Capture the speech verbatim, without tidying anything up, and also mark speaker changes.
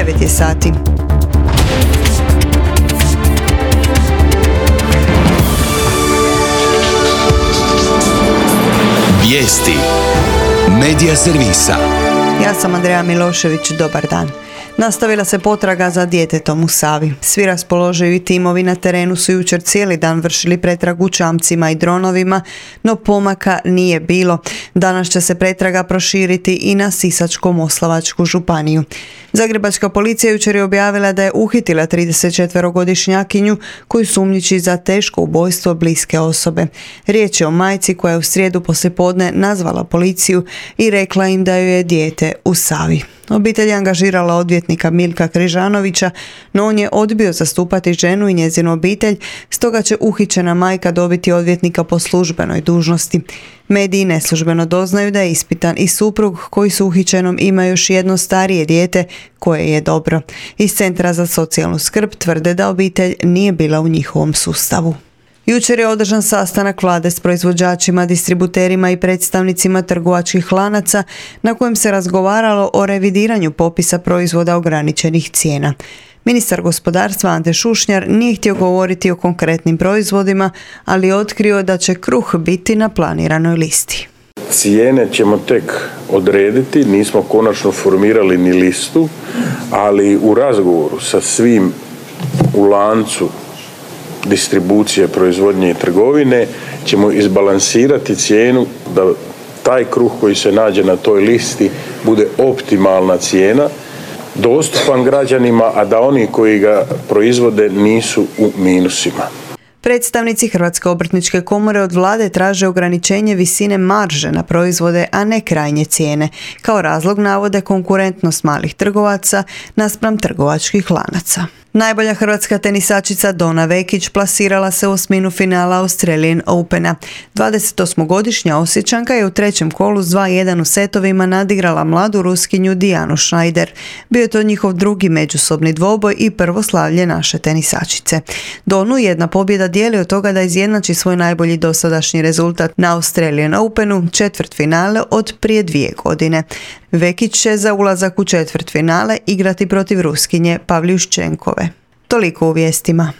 Speaker 1: devet je sati.
Speaker 2: Vijesti Medija servisa.
Speaker 1: Ja sam Andreja Milošević, dobar dan. Nastavila se potraga za djetetom u Savi. Svi raspoloživi timovi na terenu su jučer cijeli dan vršili pretragu čamcima i dronovima, no pomaka nije bilo. Danas će se pretraga proširiti i na Sisačko-moslavačku županiju. Zagrebačka policija jučer je objavila da je uhitila tridesetčetverogodišnjakinju koju sumnjiči za teško ubojstvo bliske osobe. Riječ je o majci koja je u srijedu poslijepodne nazvala policiju i rekla im da joj je dijete u Savi. Obitelj je angažirala odvjetnika Milka Križanovića, no on je odbio zastupati ženu i njezinu obitelj, stoga će uhićena majka dobiti odvjetnika po službenoj dužnosti. Mediji neslužbeno doznaju da je ispitan i suprug koji s uhićenom ima još jedno starije dijete koje je dobro. Iz Centra za socijalnu skrb tvrde da obitelj nije bila u njihovom sustavu. Jučer je održan sastanak vlade s proizvođačima, distributerima i predstavnicima trgovačkih lanaca na kojem se razgovaralo o revidiranju popisa proizvoda ograničenih cijena. Ministar gospodarstva Ante Šušnjar nije htio govoriti o konkretnim proizvodima, ali je otkrio da će kruh biti na planiranoj listi.
Speaker 3: Cijene ćemo tek odrediti, nismo konačno formirali ni listu, ali u razgovoru sa svim u lancu distribucije, proizvodnje i trgovine ćemo izbalansirati cijenu da taj kruh koji se nađe na toj listi bude optimalna cijena, dostupan građanima, a da oni koji ga proizvode nisu u minusima.
Speaker 1: Predstavnici Hrvatske obrtničke komore od vlade traže ograničenje visine marže na proizvode, a ne krajnje cijene. Kao razlog navode konkurentnost malih trgovaca naspram trgovačkih lanaca. Najbolja hrvatska tenisačica Dona Vekić plasirala se u osminu finala Australian Opena. dvadesetosmogodišnja Osječanka je u trećem kolu s dva jedan u setovima nadigrala mladu Ruskinju Dijanu Schneider. Bio je to njihov drugi međusobni dvoboj i prvo slavlje naše tenisačice. Donu jedna pobjeda dijeli od toga da izjednači svoj najbolji dosadašnji rezultat na Australian Openu, četvrtfinale od prije dvije godine. Vekić će za ulazak u četvrtfinale igrati protiv Ruskinje Pavljuščenkove. Toliko u vijestima.